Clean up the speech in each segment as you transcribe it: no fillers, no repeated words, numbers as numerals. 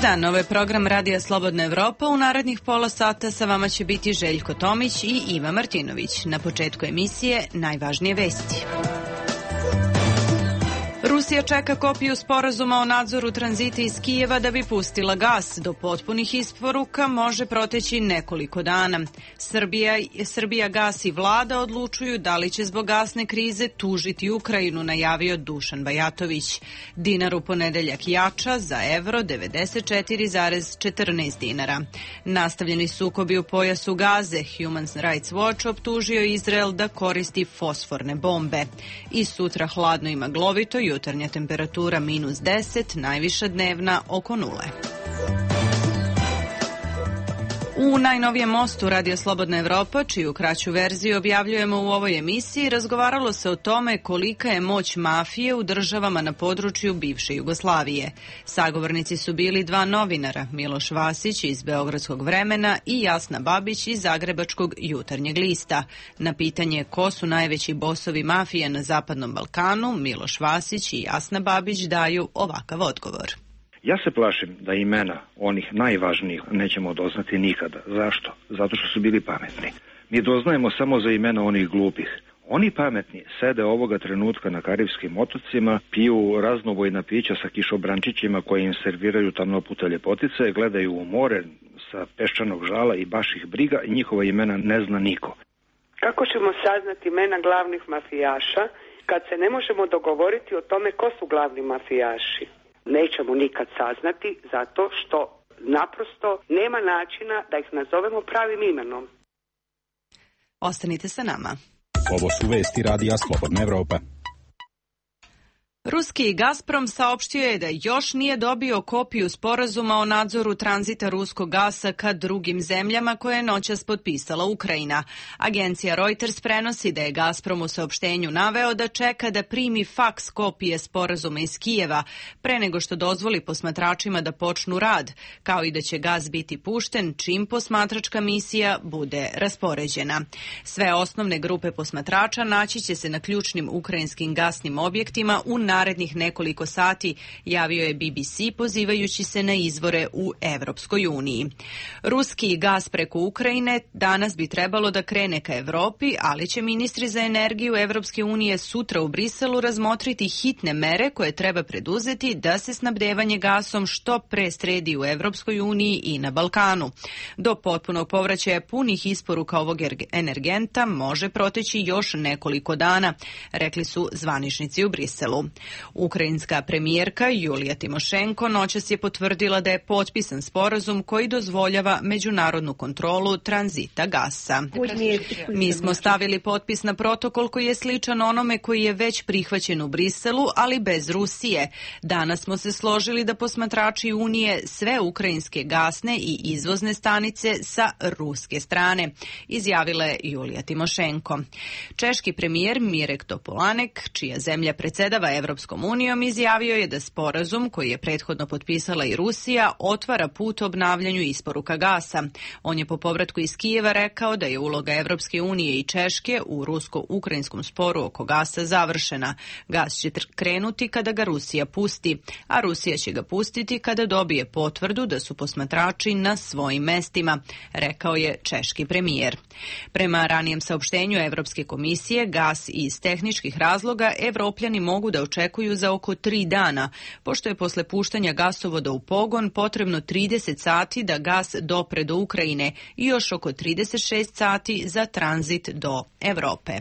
dan, ovo je program Radija Slobodna Evropa. U narednih pola sata sa vama će biti Željko Tomić i Iva Martinović. Na početku emisije najvažnije vesti. Rusija čeka kopiju sporazuma o nadzoru tranzita iz Kijeva da bi pustila gas. Do potpunih isporuka može proteći nekoliko dana. Srbija gas i vlada odlučuju da li će zbog gasne krize tužiti Ukrajinu, najavio Dušan Bajatović. Dinar u ponedeljak jača za evro 94,14 dinara. Nastavljeni sukobi u pojasu Gaze. Human Rights Watch optužio Izrael da koristi fosforne bombe. I sutra hladno i maglovito, jutarnja temperatura -10, najviša dnevna oko 0. U najnovijem mostu Radio Slobodna Evropa, čiju kraću verziju objavljujemo u ovoj emisiji, razgovaralo se o tome kolika je moć mafije u državama na području bivše Jugoslavije. Sagovornici su bili dva novinara, Miloš Vasić iz Beogradskog Vremena i Jasna Babić iz Zagrebačkog Jutarnjeg lista. Na pitanje ko su najveći bosovi mafije na Zapadnom Balkanu, Miloš Vasić i Jasna Babić daju ovakav odgovor. Ja se plašim da imena onih najvažnijih nećemo doznati nikada. Zašto? Zato što su bili pametni. Mi doznajemo samo za imena onih glupih. Oni pametni sede ovoga trenutka na Karibskim otocima, piju raznovojna pića sa kišobrančićima koje im serviraju tamnoputa ljepotice, gledaju u more sa peščanog žala i baš ih briga i njihova imena ne zna niko. Kako ćemo saznati imena glavnih mafijaša kad se ne možemo dogovoriti o tome ko su glavni mafijaši? Nećemo nikad saznati zato što naprosto nema načina da ih nazovemo pravim imenom. Ostanite sa nama. Ovo su vesti Radija Slobodna Evropa. Ruski Gazprom saopštio je da još nije dobio kopiju sporazuma o nadzoru tranzita ruskog gasa ka drugim zemljama koje je noćas potpisala Ukrajina. Agencija Reuters prenosi da je Gazprom u saopštenju naveo da čeka da primi faks kopije sporazuma iz Kijeva pre nego što dozvoli posmatračima da počnu rad, kao i da će gas biti pušten čim posmatračka misija bude raspoređena. Sve osnovne grupe posmatrača naći će se na ključnim ukrajinskim gasnim objektima u narednih nekoliko sati, javio je BBC pozivajući se na izvore u Evropskoj uniji. Ruski gas preko Ukrajine danas bi trebalo da krene ka Evropi, ali će ministri za energiju Evropske unije sutra u Briselu razmotriti hitne mere koje treba preduzeti da se snabdevanje gasom što pre sredi u Evropskoj uniji i na Balkanu. Do potpunog povraćaja punih isporuka ovog energenta može proteći još nekoliko dana, rekli su zvaničnici u Briselu. Ukrajinska premijerka Julija Timošenko noćas je potvrdila da je potpisan sporazum koji dozvoljava međunarodnu kontrolu tranzita gasa. Mi smo stavili potpis na protokol koji je sličan onome koji je već prihvaćen u Briselu, ali bez Rusije. Danas smo se složili da posmatrači Unije sve ukrajinske gasne i izvozne stanice sa ruske strane, izjavila je Julija Timošenko. Češki premijer Mirek Topolanek, čija zemlja predsjedava Evropskom unijom, izjavio je da sporazum koji je prethodno potpisala i Rusija otvara put obnavljanju isporuka gasa. On je po povratku iz Kijeva rekao da je uloga Evropske unije i Češke u rusko-ukrajinskom sporu oko gasa završena. Gas će krenuti kada ga Rusija pusti, a Rusija će ga pustiti kada dobije potvrdu da su posmatrači na svojim mestima, rekao je češki premijer. Prema ranijem saopštenju Evropske komisije, gas iz tehničkih razloga Evropljani mogu da očekuju za oko 3 dana, pošto je posle puštanja gasovoda u pogon potrebno 30 sati da gas dopre do Ukrajine i još oko 36 sati za tranzit do Evrope.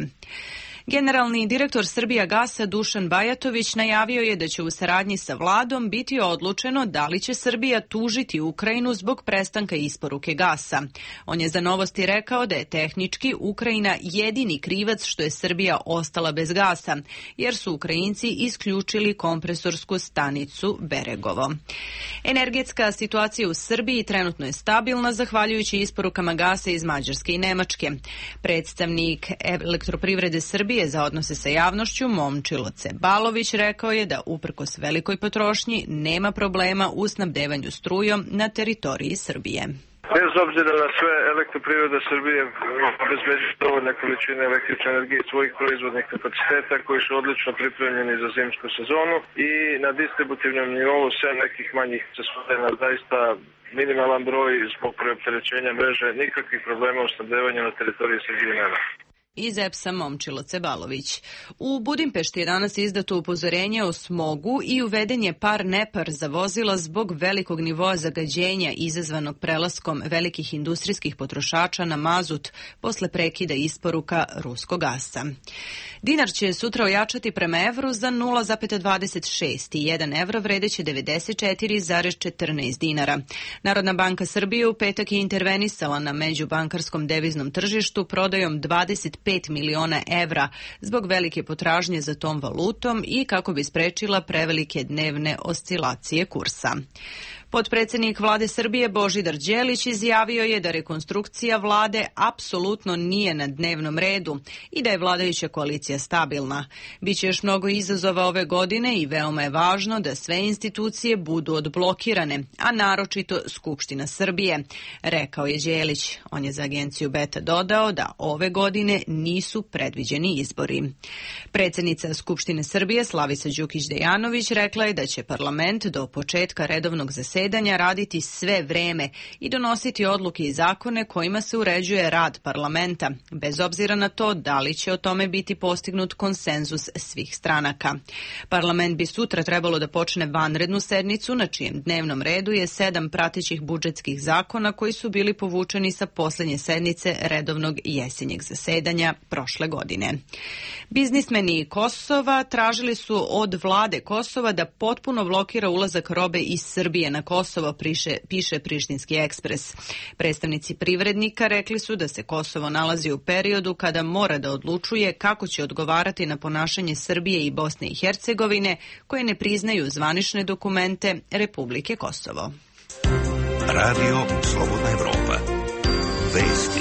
Generalni direktor Srbijagasa Dušan Bajatović najavio je da će u saradnji sa vladom biti odlučeno da li će Srbija tužiti Ukrajinu zbog prestanka isporuke gasa. On je za Novosti rekao da je tehnički Ukrajina jedini krivac što je Srbija ostala bez gasa, jer su Ukrajinci isključili kompresorsku stanicu Beregovo. Energetska situacija u Srbiji trenutno je stabilna zahvaljujući isporukama gasa iz Mađarske i Nemačke. Predstavnik Elektroprivrede Srbije za odnose sa javnošću Momčilo Cebalović rekao je da uprkos velikoj potrošnji nema problema u snabdevanju strujom na teritoriji Srbije. Bez obzira na sve, Elektroprivreda Srbije obezbeđuje dovoljne količine električne energije svojih proizvodnih kapaciteta koji su odlično pripremljeni za zimsku sezonu i na distributivnom nivou sve nekih manjih čestina, zaista minimalan broj zbog preopterećenja mreže, nikakvih problema u snabdevanju na teritoriji Srbije nema. Iz EPS-a Momčilo Cebalović. U Budimpešti je danas izdato upozorenje o smogu i uveden je par nepar za vozila zbog velikog nivoa zagađenja izazvanog prelaskom velikih industrijskih potrošača na mazut posle prekida isporuka ruskog gasa. Dinar će sutra ojačati prema evru za 0,26 i 1 evro vredeće 94,14 dinara. Narodna banka Srbije u petak je intervenisala na međubankarskom deviznom tržištu prodajom 25 miliona evra zbog velike potražnje za tom valutom i kako bi sprečila prevelike dnevne oscilacije kursa. Potpredsednik vlade Srbije Božidar Đelić izjavio je da rekonstrukcija vlade apsolutno nije na dnevnom redu i da je vladajuća koalicija stabilna. Biće još mnogo izazova ove godine i veoma je važno da sve institucije budu odblokirane, a naročito Skupština Srbije, rekao je Đelić. On je za agenciju Beta dodao da ove godine nisu predviđeni izbori. Predsednica Skupštine Srbije Slavica Đukić Dejanović rekla je da će parlament do početka redovnog zasedanja raditi sve vreme i donositi odluke i zakone kojima se uređuje rad parlamenta, bez obzira na to da li će o tome biti postignut konsenzus svih stranaka. Parlament bi sutra trebalo da počne vanrednu sednicu, na čijem dnevnom redu je 7 pratećih budžetskih zakona koji su bili povučeni sa poslednje sednice redovnog jesenjeg zasedanja prošle godine. Biznismeni Kosova tražili su od vlade Kosova da potpuno blokira ulazak robe iz Srbije na Kosovo, piše Prištinski ekspres. Predstavnici privrednika rekli su da se Kosovo nalazi u periodu kada mora da odlučuje kako će odgovarati na ponašanje Srbije i Bosne i Hercegovine koje ne priznaju zvanične dokumente Republike Kosovo. Radio Slobodna Evropa. Vesti.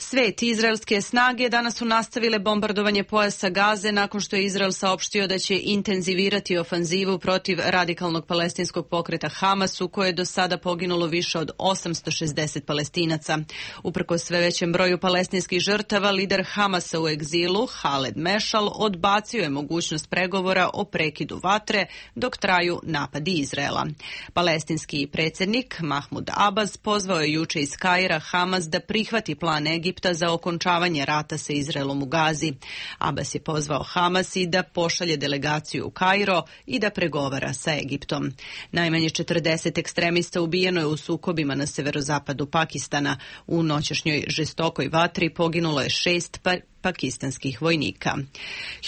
Svet i izraelske snage danas su nastavile bombardovanje pojasa Gaze nakon što je Izrael saopštio da će intenzivirati ofanzivu protiv radikalnog palestinskog pokreta Hamas, u kojoj je do sada poginulo više od 860 Palestinaca. Uprkos sve većem broju palestinskih žrtava, lider Hamasa u egzilu, Haled Mešal, odbacio je mogućnost pregovora o prekidu vatre dok traju napadi Izraela. Palestinski predsjednik Mahmud Abbas pozvao je juče iz Kaira Hamas da prihvati plan Egipta za okončavanje rata sa Izraelom u Gazi. Abbas je pozvao Hamas i da pošalje delegaciju u Kairo i da pregovara sa Egiptom. Najmanje 40 ekstremista ubijeno je u sukobima na severozapadu Pakistana. U noćašnjoj žestokoj vatri poginulo je 6 pakistanskih vojnika.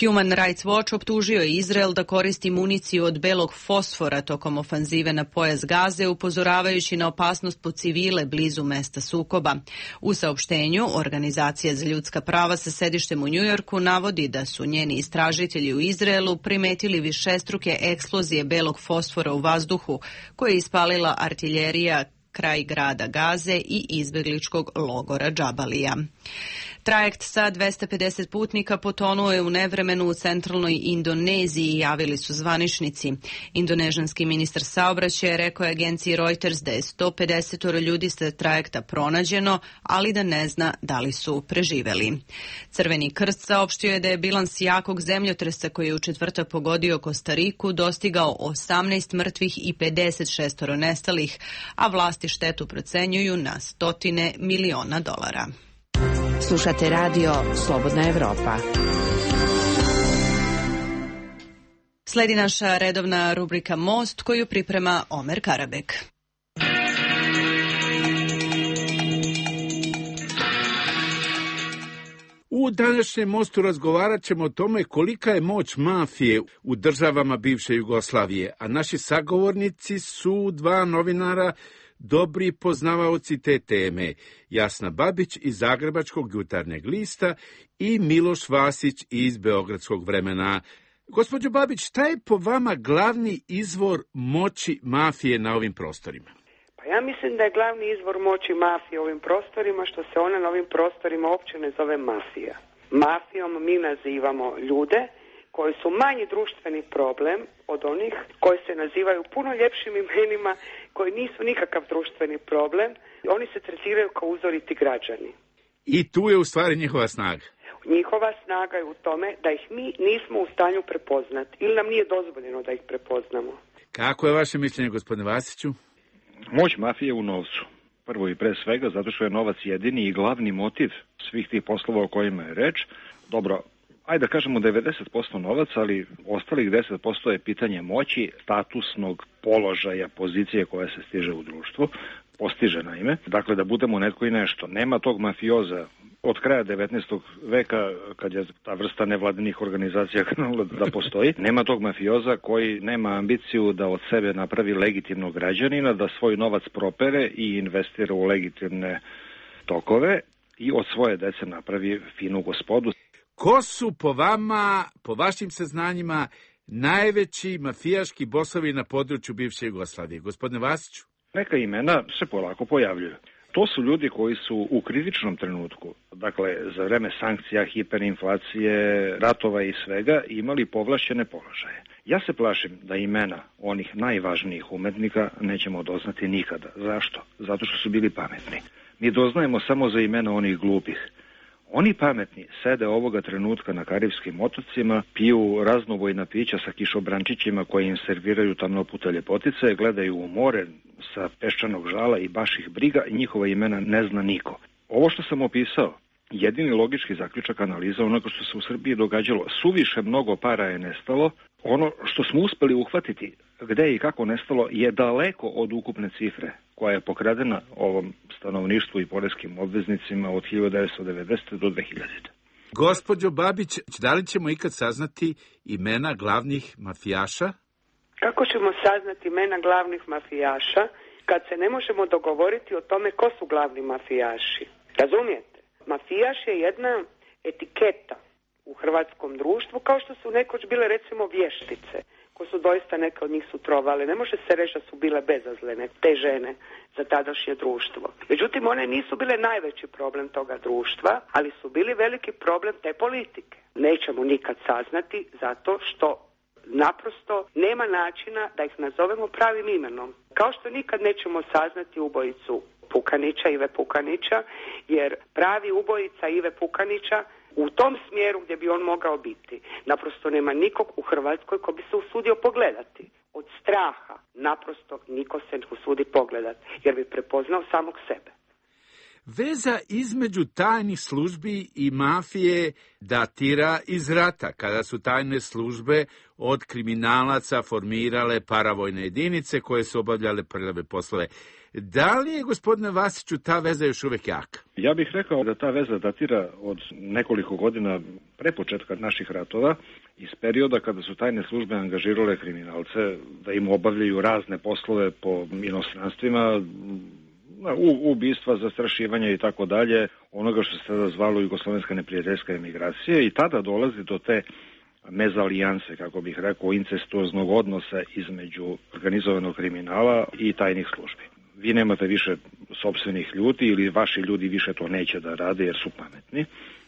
Human Rights Watch optužio je Izrael da koristi municiju od belog fosfora tokom ofanzive na pojas Gaze, upozoravajući na opasnost po civile blizu mesta sukoba. U saopštenju, Organizacija za ljudska prava sa sedištem u Njujorku navodi da su njeni istražitelji u Izraelu primetili višestruke eksplozije belog fosfora u vazduhu, koje je ispalila artiljerija kraj grada Gaze i izbegličkog logora Džabalija. Trajekt sa 250 putnika potonuo je u nevremenu u centralnoj Indoneziji, javili su zvaničnici. Indonežanski ministar saobraćaja rekao je agenciji Reuters da je 150 ljudi sa trajekta pronađeno, ali da ne zna da li su preživeli. Crveni krst saopštio je da je bilans jakog zemljotresa koji je u četvrtak pogodio Kostariku dostigao 18 mrtvih i 56 nestalih, a vlasti štetu procenjuju na $100 miliona. Slušate radio Slobodna Evropa. Sledi naša redovna rubrika Most koju priprema Omer Karabek. U današnjem Mostu razgovarat ćemo o tome kolika je moć mafije u državama bivše Jugoslavije, a naši sagovornici su dva novinara, dobri poznavaoci te teme, Jasna Babić iz Zagrebačkog jutarnjeg lista i Miloš Vasić iz Beogradskog Vremena. Gospođo Babić, šta je po vama glavni izvor moći mafije na ovim prostorima? Pa ja mislim da je glavni izvor moći mafije u ovim prostorima što se ona na ovim prostorima uopće ne zove mafija. Mafijom mi nazivamo ljude koji su manji društveni problem od onih koji se nazivaju puno ljepšim imenima, koji nisu nikakav društveni problem. Oni se tretiraju kao uzoriti građani. I tu je u stvari njihova snaga. Njihova snaga je u tome da ih mi nismo u stanju prepoznati ili nam nije dozvoljeno da ih prepoznamo. Kako je vaše mišljenje, gospodine Vasiću? Moć mafije u novcu. Prvo i pre svega zato što je novac jedini i glavni motiv svih tih poslova o kojima je reč. Dobro, ajde da kažemo 90% novaca, ali ostalih 10% je pitanje moći, statusnog položaja, pozicije koja se stiže u društvu. Postiže naime. Dakle, da budemo netko i nešto. Nema tog mafioza od kraja 19. veka, kad je ta vrsta nevladinih organizacija krenula da postoji, nema tog mafioza koji nema ambiciju da od sebe napravi legitimnog građanina, da svoj novac propere i investira u legitimne tokove i od svoje dece napravi finu gospodu. Ko su po vama, po vašim saznanjima, najveći mafijaški bosovi na području bivše Jugoslavije? Gospodine Vasiću? Neka imena se polako pojavljuju. To su ljudi koji su u kritičnom trenutku, dakle za vreme sankcija, hiperinflacije, ratova i svega, imali povlašćene položaje. Ja se plašim da imena onih najvažnijih umetnika nećemo doznati nikada. Zašto? Zato što su bili pametni. Mi doznajemo samo za imena onih glupih. Oni pametni sede ovoga trenutka na Karibskim otocima, piju raznovojna pića sa kišobrančićima koje im serviraju tamnopute ljepotice, gledaju u more sa peščanog žala i baš ih briga i njihova imena ne zna niko. Ovo što sam opisao, jedini logički zaključak analiza onoga što se u Srbiji događalo, suviše mnogo para je nestalo, ono što smo uspeli uhvatiti gde i kako nestalo je daleko od ukupne cifre koja je pokradena ovom stanovništvu i poreskim obveznicima od 1990. do 2000. Gospođo Babić, da li ćemo ikad saznati imena glavnih mafijaša? Kako ćemo saznati imena glavnih mafijaša kad se ne možemo dogovoriti o tome ko su glavni mafijaši? Razumijete? Mafijaš je jedna etiketa u hrvatskom društvu, kao što su nekoć bile recimo vještice, ko su doista neke od njih su trovale. Ne može se reći da su bile bezazlene, te žene, za tadašnje društvo. Međutim, one nisu bile najveći problem toga društva, ali su bili veliki problem te politike. Nećemo nikad saznati zato što naprosto nema načina da ih nazovemo pravim imenom. Kao što nikad nećemo saznati ubojicu Pukanića, Ive Pukanića, jer pravi ubojica Ive Pukanića u tom smjeru gdje bi on mogao biti. Naprosto nema nikog u Hrvatskoj ko bi se usudio pogledati. Od straha naprosto niko se ne usudi pogledati, jer bi prepoznao samog sebe. Veza između tajnih službi i mafije datira iz rata, kada su tajne službe od kriminalaca formirale paravojne jedinice koje su obavljale prljave poslove. Da li je, gospodine Vasiću, ta veza još uvek jaka? Ja bih rekao da ta veza datira od nekoliko godina pre početka naših ratova, iz perioda kada su tajne službe angažirale kriminalce da im obavljaju razne poslove po inostranstvima, ubistva, zastrašivanja i tako dalje, onoga što se tada zvalo jugoslovenska neprijateljska emigracija, i tada dolazi do te mezalijanse, kako bih rekao, incestuoznog odnosa između organizovanog kriminala i tajnih službi. Vi nemate više sopstvenih ljudi ili vaši ljudi više to neće da rade jer su pametni.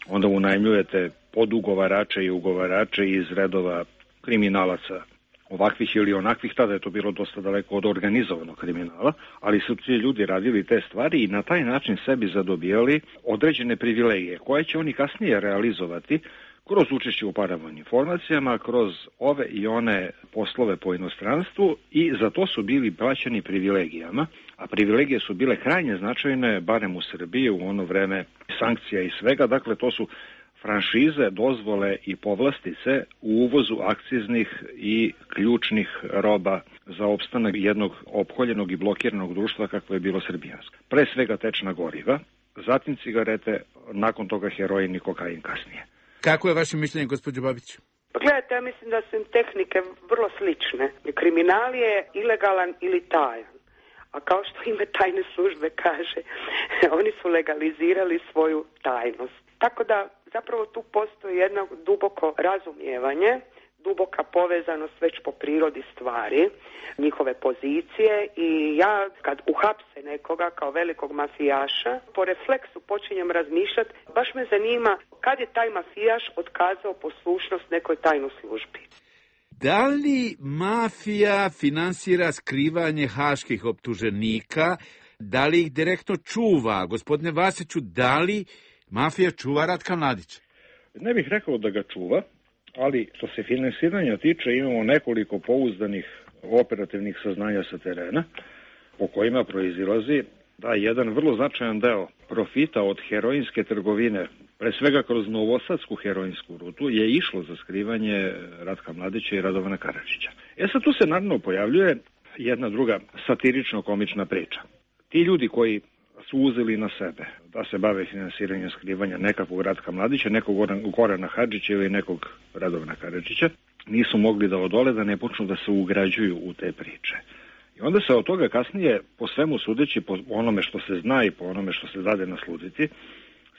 Onda unajmljujete podugovarače i ugovarače iz redova kriminalaca ovakvih ili onakvih, tada je to bilo dosta daleko od organizovanog kriminala, ali su ti ljudi radili te stvari i na taj način sebi zadobijali određene privilegije, koje će oni kasnije realizovati kroz učešće u paravojnim formacijama, kroz ove i one poslove po inostranstvu, i za to su bili plaćeni privilegijama, a privilegije su bile krajnje značajne, barem u Srbiji u ono vreme sankcija i svega, dakle to su franšize, dozvole i povlastice u uvozu akciznih i ključnih roba za opstanak jednog opkoljenog i blokiranog društva kakvo je bilo srbijansko. Pre svega tečna goriva, zatim cigarete, nakon toga heroin i kokain kasnije. Kako je vaše mišljenje, gospođo Babić? Pa gledajte, ja mislim da su im tehnike vrlo slične. Kriminal je ilegalan ili tajan. A kao što ime tajne službe kaže, oni su legalizirali svoju tajnost. Tako da zapravo tu postoji jedno duboko razumijevanje duboka povezanost već po prirodi stvari, njihove pozicije, i ja kad uhapse nekoga kao velikog mafijaša, po refleksu počinjem razmišljati, baš me zanima kad je taj mafijaš otkazao poslušnost nekoj tajnoj službi. Da li mafija finansira skrivanje haških optuženika? Da li ih direktno čuva? Gospodine Vasiću, da li mafija čuva Ratka Mladića? Ne bih rekao da ga čuva, ali što se finansiranja tiče, imamo nekoliko pouzdanih operativnih saznanja sa terena, po kojima proizilazi da jedan vrlo značajan deo profita od heroinske trgovine, pre svega kroz novosadsku heroinsku rutu, je išlo za skrivanje Ratka Mladića i Radovana Karadžića. Sad tu se naravno pojavljuje jedna druga satirično-komična priča. Ti ljudi koji su uzeli na sebe da se bave finansiranjem skrivanja nekakvog Ratka Mladića, nekog Gorana Hadžića ili nekog Radovana Karadžića, nisu mogli da odole da ne počnu da se ugrađuju u te priče. I onda se od toga kasnije, po svemu sudeći, po onome što se zna i po onome što se dade naslutiti,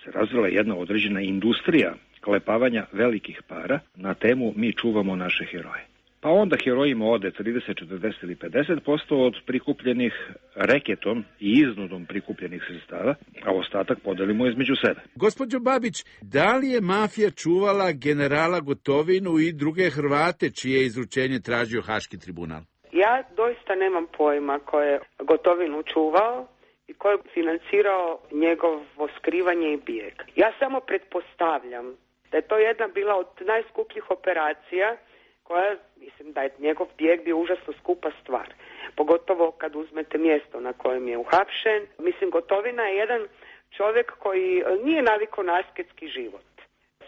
se razvila jedna određena industrija klepavanja velikih para na temu mi čuvamo naše heroje. Pa onda herojima ode 30, 40 ili 50% od prikupljenih reketom i iznudom prikupljenih sredstava, a ostatak podelimo između sebe. Gospođo Babić, da li je mafija čuvala generala Gotovinu i druge Hrvate čije izručenje tražio Haški tribunal? Ja doista nemam pojma ko je Gotovinu čuvao i ko je financirao njegovo skrivanje i bijeg. Ja samo pretpostavljam da je to jedna bila od najskupljih operacija koja, mislim da je njegov bijeg bio užasno skupa stvar. Pogotovo kad uzmete mjesto na kojem je uhapšen. Mislim, Gotovina je jedan čovjek koji nije navikao na asketski život.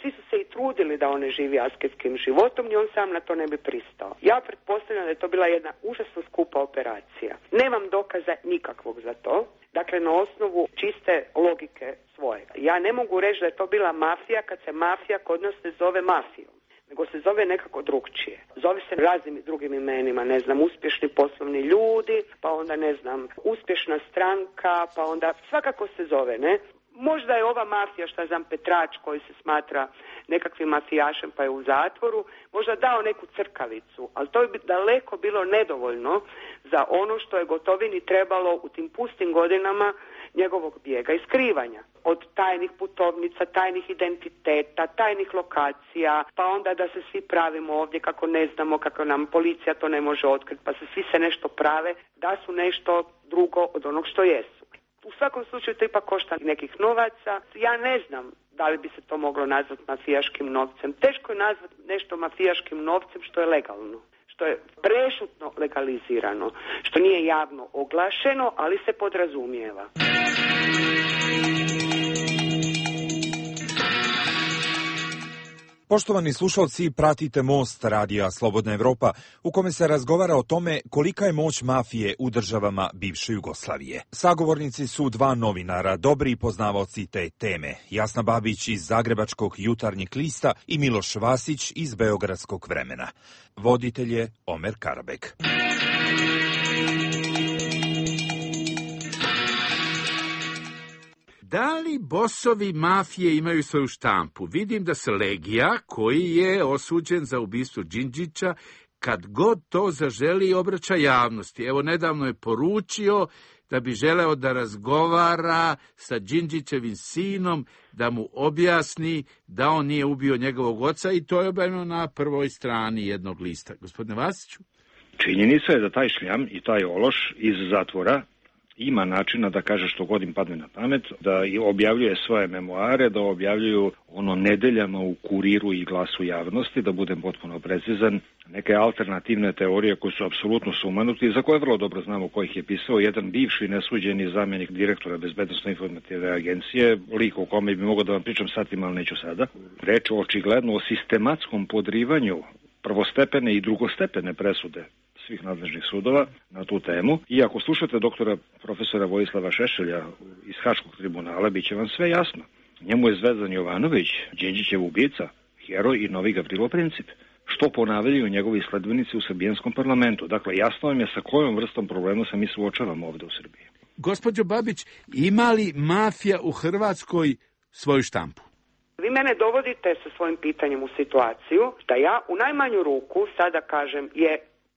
Svi su se i trudili da on ne živi asketskim životom i on sam na to ne bi pristao. Ja pretpostavljam da je to bila jedna užasno skupa operacija. Nemam dokaza nikakvog za to. Dakle, na osnovu čiste logike svojega. Ja ne mogu reći da je to bila mafija kad se mafija kod nas ne zove mafijom, nego se zove nekako drugčije. Zove se raznim drugim imenima, ne znam, uspješni poslovni ljudi, pa onda, ne znam, uspješna stranka, pa onda svakako se zove, ne? Možda je ova mafija, šta znam, Petrač koji se smatra nekakvim mafijašem pa je u zatvoru, možda dao neku crkavicu, ali to bi daleko bilo nedovoljno za ono što je Gotovini trebalo u tim pustim godinama njegovog bijega i skrivanja. Od tajnih putovnica, tajnih identiteta, tajnih lokacija, pa onda da se svi pravimo ovdje kako ne znamo, kako nam policija to ne može otkriti, pa se svi se nešto prave da su nešto drugo od onog što jesu. U svakom slučaju to ipak košta nekih novaca. Ja ne znam da li bi se to moglo nazvati mafijaškim novcem. Teško je nazvati nešto mafijaškim novcem što je legalno, što je prešutno legalizirano, što nije javno oglašeno, ali se podrazumijeva. Poštovani slušalci, pratite Most radija Slobodna Evropa, u kome se razgovara o tome kolika je moć mafije u državama bivše Jugoslavije. Sagovornici su dva novinara, dobri poznavaoci te teme, Jasna Babić iz Zagrebačkog Jutarnjeg lista i Miloš Vasić iz Beogradskog Vremena. Voditelj je Omer Karabek. Da li bosovi mafije imaju svoju štampu? Vidim da se Legija, koji je osuđen za ubistvo Đinđića, kad god to zaželi obraća javnosti. Evo, nedavno je poručio da bi želeo da razgovara sa Đinđićevim sinom, da mu objasni da on nije ubio njegovog oca, i to je objavljeno na prvoj strani jednog lista. Gospodine Vasiću? Činjenica je da taj šljam i taj ološ iz zatvora ima načina da kaže što god im padne na pamet, da objavljuje svoje memoare, da objavljuju ono nedeljama u Kuriru i Glasu javnosti, da budem potpuno precizan, neke alternativne teorije koje su apsolutno sumanuti i za koje vrlo dobro znamo ko ih je pisao. Jedan bivši nesuđeni zamjenik direktora Bezbednosno-informativne agencije, lik o kome bi mogao da vam pričam satima, ali neću sada. Reč očigledno o sistematskom podrivanju prvostepene i drugostepene presude svih nadležnih sudova na tu temu. I ako slušate doktora profesora Vojislava Šešelja iz Haškog tribunala, bit će vam sve jasno. Njemu je Zvezdan Jovanović, Đinđićev ubica, heroj i novi Gavrilo Princip, što ponavljaju njegovi sledbenici u srbijanskom parlamentu. Dakle, jasno vam je sa kojom vrstom problema se mi suočavamo ovde u Srbiji. Gospođo Babić, ima li mafija u Hrvatskoj svoju štampu? Vi mene dovodite sa svojim pitanjem u situaciju da ja u najmanju ruku sada kažem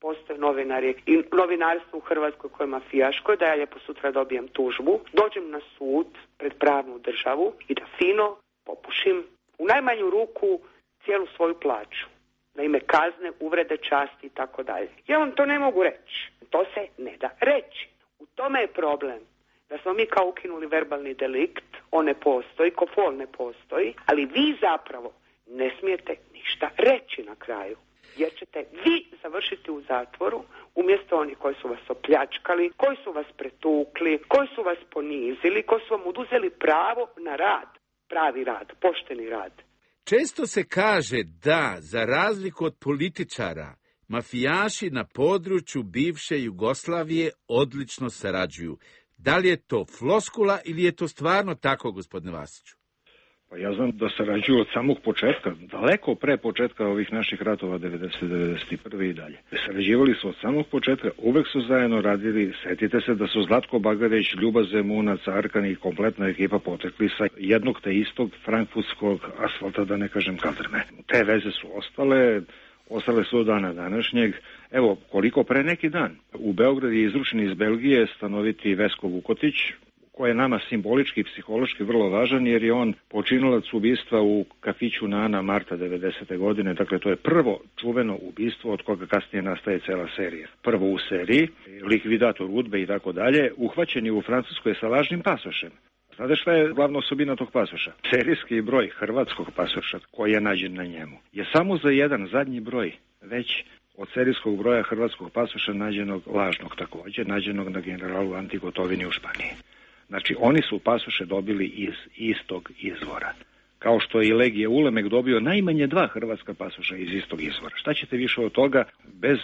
postoje novinari i novinarstvo u Hrvatskoj koje je mafijaško, da ja lijepo sutra dobijem tužbu, dođem na sud pred pravnu državu i da fino popušim u najmanju ruku cijelu svoju plaću. Na ime kazne, uvrede, časti i tako dalje. Ja vam to ne mogu reći. To se ne da reći. U tome je problem. Da smo mi kao ukinuli verbalni delikt, on ne postoji, kofol ne postoji, ali vi zapravo ne smijete ništa reći na kraju. Jer ćete vi završiti u zatvoru umjesto onih koji su vas opljačkali, koji su vas pretukli, koji su vas ponizili, koji su vam oduzeli pravo na rad, pravi rad, pošteni rad. Često se kaže da, za razliku od političara, mafijaši na području bivše Jugoslavije odlično sarađuju. Da li je to floskula ili je to stvarno tako, gospodine Vasiću? Pa ja znam da sarađuju od samog početka, daleko pre početka ovih naših ratova 90-91 i dalje. Sarađivali su od samog početka, uvek su zajedno radili. Setite se da su Zlatko Bagarić, Ljuba Zemunac, Arkan i kompletna ekipa potekli sa jednog te istog frankfurtskog asfalta, da ne kažem kaldrme. Te veze su ostale su od dana današnjeg. Evo, koliko pre neki dan. U Beogradu je izručen iz Belgije stanoviti Vesko Vukotić, koji je nama simbolički i psihološki vrlo važan, jer je on počinilac ubistva u kafiću Nana marta 90. godine. Dakle, to je prvo čuveno ubistvo od koga kasnije nastaje cela serija. Prvo u seriji, likvidator UDBE i tako dalje, uhvaćen je u Francuskoj sa lažnim pasošem. Znate šta je glavna osobina tog pasoša? Serijski broj hrvatskog pasoša koji je nađen na njemu je samo za jedan zadnji broj već od serijskog broja hrvatskog pasoša nađenog lažnog također, nađenog na generalu Anti Gotovini u Španiji. Znači, oni su pasoše dobili iz istog izvora. Kao što je i Legije Ulemek dobio najmanje 2 hrvatska pasoša iz istog izvora. Šta ćete više od toga bez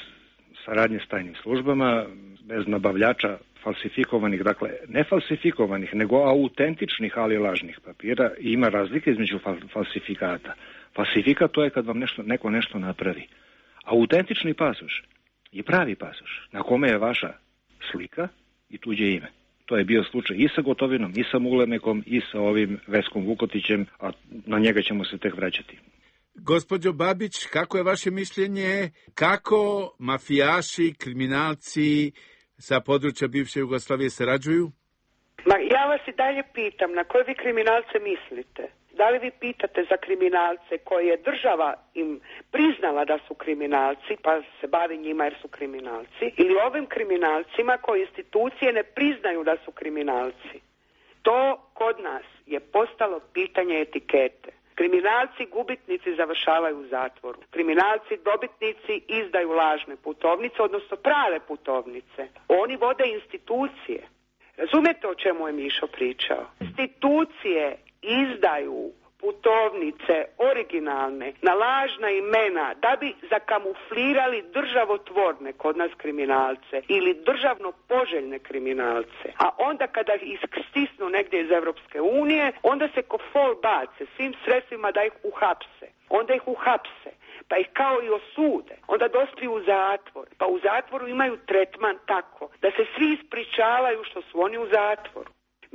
saradnje s tajnim službama, bez nabavljača falsifikovanih, dakle ne falsifikovanih, nego autentičnih, ali lažnih papira. I ima razlike između falsifikata. Falsifikat to je kad vam neko nešto napravi. Autentični pasoš je pravi pasoš na kome je vaša slika i tuđe ime. To je bio slučaj i sa Gotovinom, i sa Ulemekom, i sa ovim Veskom Vukotićem, a na njega ćemo se tek vraćati. Gospođo Babić, kako je vaše mišljenje? Kako mafijaši, kriminalci sa područja bivše Jugoslavije sarađuju? Ja vas i dalje pitam, na koje vi kriminalce mislite? Da li vi pitate za kriminalce koje je država im priznala da su kriminalci, pa se bavi njima jer su kriminalci, ili ovim kriminalcima koje institucije ne priznaju da su kriminalci? To kod nas je postalo pitanje etikete. Kriminalci gubitnici završavaju u zatvoru. Kriminalci dobitnici izdaju lažne putovnice, odnosno prave putovnice. Oni vode institucije. Razumijete o čemu je Mišo pričao? Institucije izdaju putovnice originalne na lažna imena da bi zakamuflirali državotvorne kod nas kriminalce ili državno poželjne kriminalce. A onda kada ih stisnu negdje iz Europske unije, onda se ko fol bace svim sredstvima da ih uhapse. Onda ih uhapse, pa ih kao i osude. Onda dospiju u zatvor. Pa u zatvoru imaju tretman tako da se svi ispričavaju što su oni u zatvoru.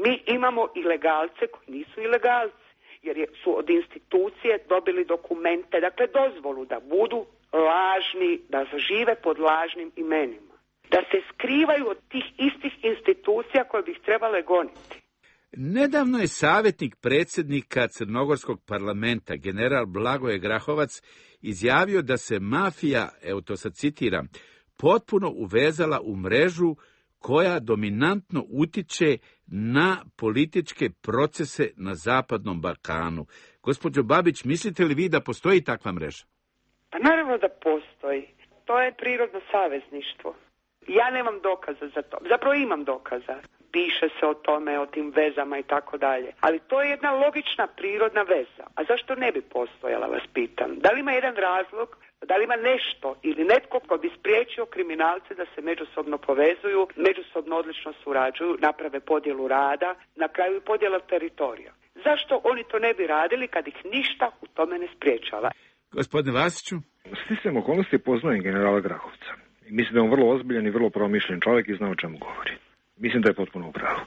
Mi imamo ilegalce koji nisu ilegalci, jer su od institucije dobili dokumente, dakle dozvolu da budu lažni, da žive pod lažnim imenima. Da se skrivaju od tih istih institucija koje bi ih trebale goniti. Nedavno je savjetnik predsjednika Crnogorskog parlamenta, general Blagoje Grahovac, izjavio da se mafija, evo to sad citiram, potpuno uvezala u mrežu koja dominantno utiče na političke procese na Zapadnom Balkanu. Gospođo Babić, mislite li vi da postoji takva mreža? Pa naravno da postoji. To je prirodno savezništvo. Ja nemam dokaza za to. Zapravo imam dokaza. Piše se o tome, o tim vezama i tako dalje. Ali to je jedna logična prirodna veza. A zašto ne bi postojala, vas pitam? Da li ima jedan razlog? Da li ima nešto ili netko ko bi spriječio kriminalce da se međusobno povezuju, međusobno odlično surađuju, naprave podjelu rada, na kraju i podjela teritorija? Zašto oni to ne bi radili kad ih ništa u tome ne spriječava? Gospodine Vasiću? Sticajem okolnosti poznajem generala Grahovca. Mislim da je on vrlo ozbiljan i vrlo promišljen čovjek i zna o čemu govori. Mislim da je potpuno u pravu.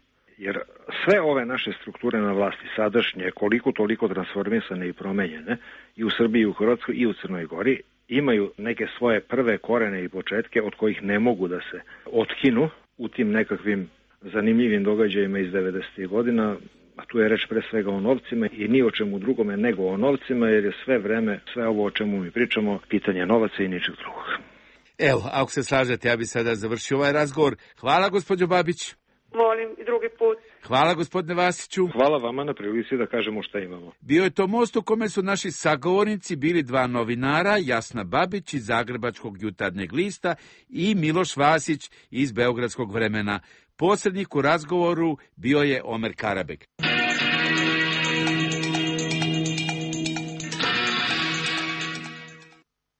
Jer sve ove naše strukture na vlasti sadašnje, koliko toliko transformisane i promenjene, i u Srbiji, i u Hrvatskoj, i u Crnoj Gori, imaju neke svoje prve korene i početke od kojih ne mogu da se otkinu u tim nekakvim zanimljivim događajima iz 90. godina, a tu je reč pre svega o novcima i ni o čemu drugome nego o novcima, jer je sve vreme, sve ovo o čemu mi pričamo, pitanje novaca i ničeg drugog. Evo, ako se slažete, ja bih sada završio ovaj razgovor. Hvala, gospođo Babić. Molim i drugi put. Hvala, gospodine Vasiću. Hvala vama na prilici da kažemo šta imamo. Bio je to most u kome su naši sagovornici bili dva novinara, Jasna Babić iz Zagrebačkog jutarnjeg lista i Miloš Vasić iz Beogradskog Vremena. Posrednik u razgovoru bio je Omer Karabek.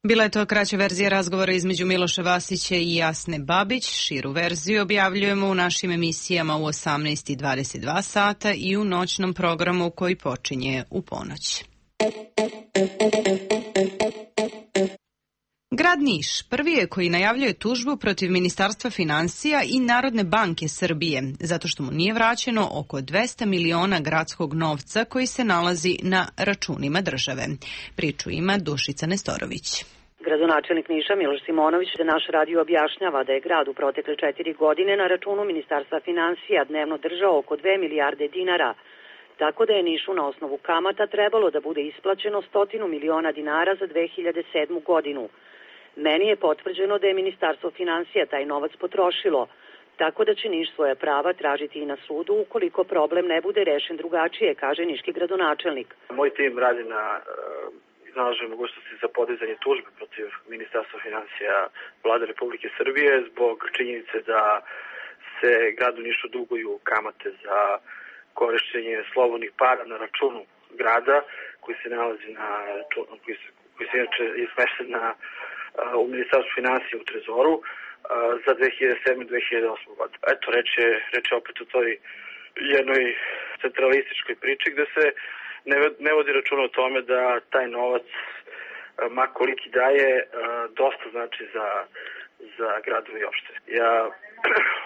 Bila je to kraća verzija razgovora između Miloša Vasića i Jasne Babić. Širu verziju objavljujemo u našim emisijama u 18:22 sata i u noćnom programu koji počinje u ponoć. Grad Niš prvi je koji najavljuje tužbu protiv Ministarstva financija i Narodne banke Srbije, zato što mu nije vraćeno oko 200 miliona gradskog novca koji se nalazi na računima države. Priču ima Dušica Nestorović. Gradonačelnik Niša Miloš Simonović za naš radio objašnjava da je grad u protekle 4 godine na računu Ministarstva financija dnevno držao oko 2 milijarde dinara, tako da je Nišu na osnovu kamata trebalo da bude isplaćeno 100 miliona dinara za 2007. godinu. Meni je potvrđeno da je Ministarstvo financija taj novac potrošilo, tako da će Niš svoja prava tražiti i na sudu ukoliko problem ne bude rešen drugačije, kaže niški gradonačelnik. Moj tim radi na iznalaženju mogućnosti za podizanje tužbe protiv Ministarstva financija Vlade Republike Srbije zbog činjenice da se gradu Nišu duguju kamate za korišćenje slobodnih para na računu grada koji se nalazi na računu, koji se inače je smešten u Ministarstvu financija u Trezoru za 2007. i 2008. godinu. Eto, reč je opet o toj jednoj centralističkoj priči gde se ne vodi računa o tome da taj novac, ma koliki daje, dosta znači za gradove i opštine. Ja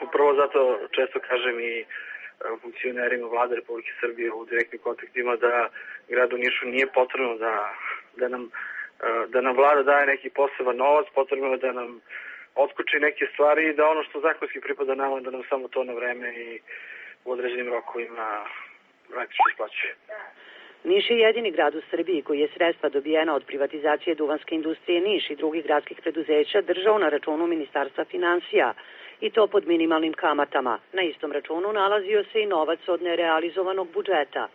upravo zato često kažem i funkcionerima Vlade Republike Srbije u direktnim kontaktima da gradu Nišu nije potrebno da nam vlada daje neki poseban novac, potrebno je da nam otkuči neke stvari i da ono što zakonski pripada nama, da nam samo to na vreme i u određenim rokovima praktično isplaćuje. Niš je jedini grad u Srbiji koji je sredstva dobijena od privatizacije duvanske industrije Niš i drugih gradskih preduzeća držao na računu Ministarstva financija i to pod minimalnim kamatama. Na istom računu nalazio se i novac od nerealizovanog budžeta.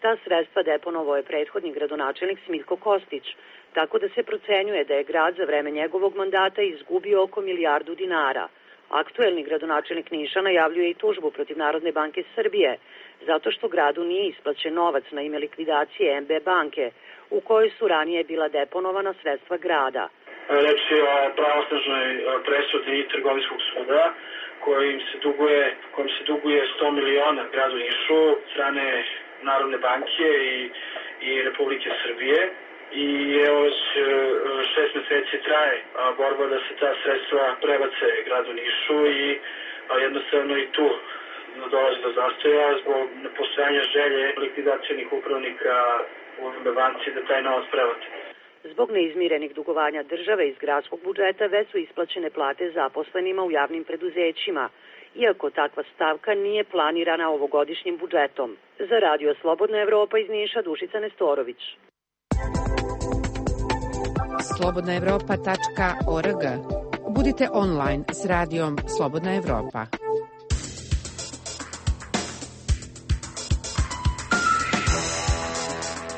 Ta sredstva deponovao je prethodni gradonačelnik Smiljko Kostić, tako da se procenjuje da je grad za vreme njegovog mandata izgubio oko 1 milijardu dinara. Aktuelni gradonačelnik Niša najavljuje i tužbu protiv Narodne banke Srbije, zato što gradu nije isplaćen novac na ime likvidacije MB banke, u kojoj su ranije bila deponovana sredstva grada. Reč je o pravosnažnoj presudi Trgovinskog suda kojim se duguje 100 miliona gradu Nišu od strane Narodne banke i Republike Srbije. I evo već 6 meseci traje borba da se ta sredstva prebace gradu Nišu i jednostavno i tu dolazi do zastoja zbog nepostojanja želje likvidacionih upravnika u banci da taj novac prebace. Zbog neizmirenih dugovanja države iz gradskog budžeta već su isplaćene plate zaposlenima u javnim preduzećima, iako takva stavka nije planirana ovogodišnjim budžetom. Za Radio Slobodna Evropa iz Niša, Dušica Nestorović. slobodnaevropa.org. Budite online s radijom Slobodna Evropa.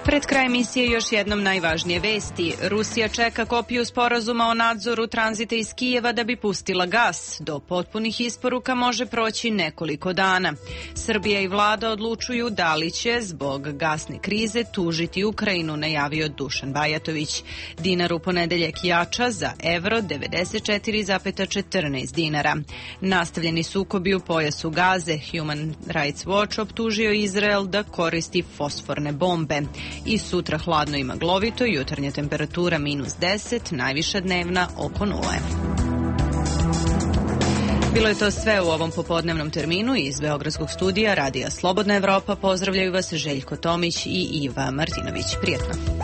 Pred kraj emisije još jednom najvažnije vesti. Rusija čeka kopiju sporazuma o nadzoru tranzita iz Kijeva da bi pustila gas. Do potpunih isporuka može proći nekoliko dana. Srbija i vlada odlučuju da li će zbog gasne krize tužiti Ukrajinu, najavio Dušan Bajatović. Dinar u ponedeljak jača za evro 94,14 dinara. Nastavljeni sukobi u pojasu Gaze. Human Rights Watch optužio Izrael da koristi fosforne bombe. I sutra hladno i maglovito, jutarnja temperatura -10, najviša dnevna oko 0. Bilo je to sve u ovom popodnevnom terminu iz Beogradskog studija Radija Slobodna Evropa. Pozdravljaju vas Željko Tomić i Iva Martinović. Prijetno.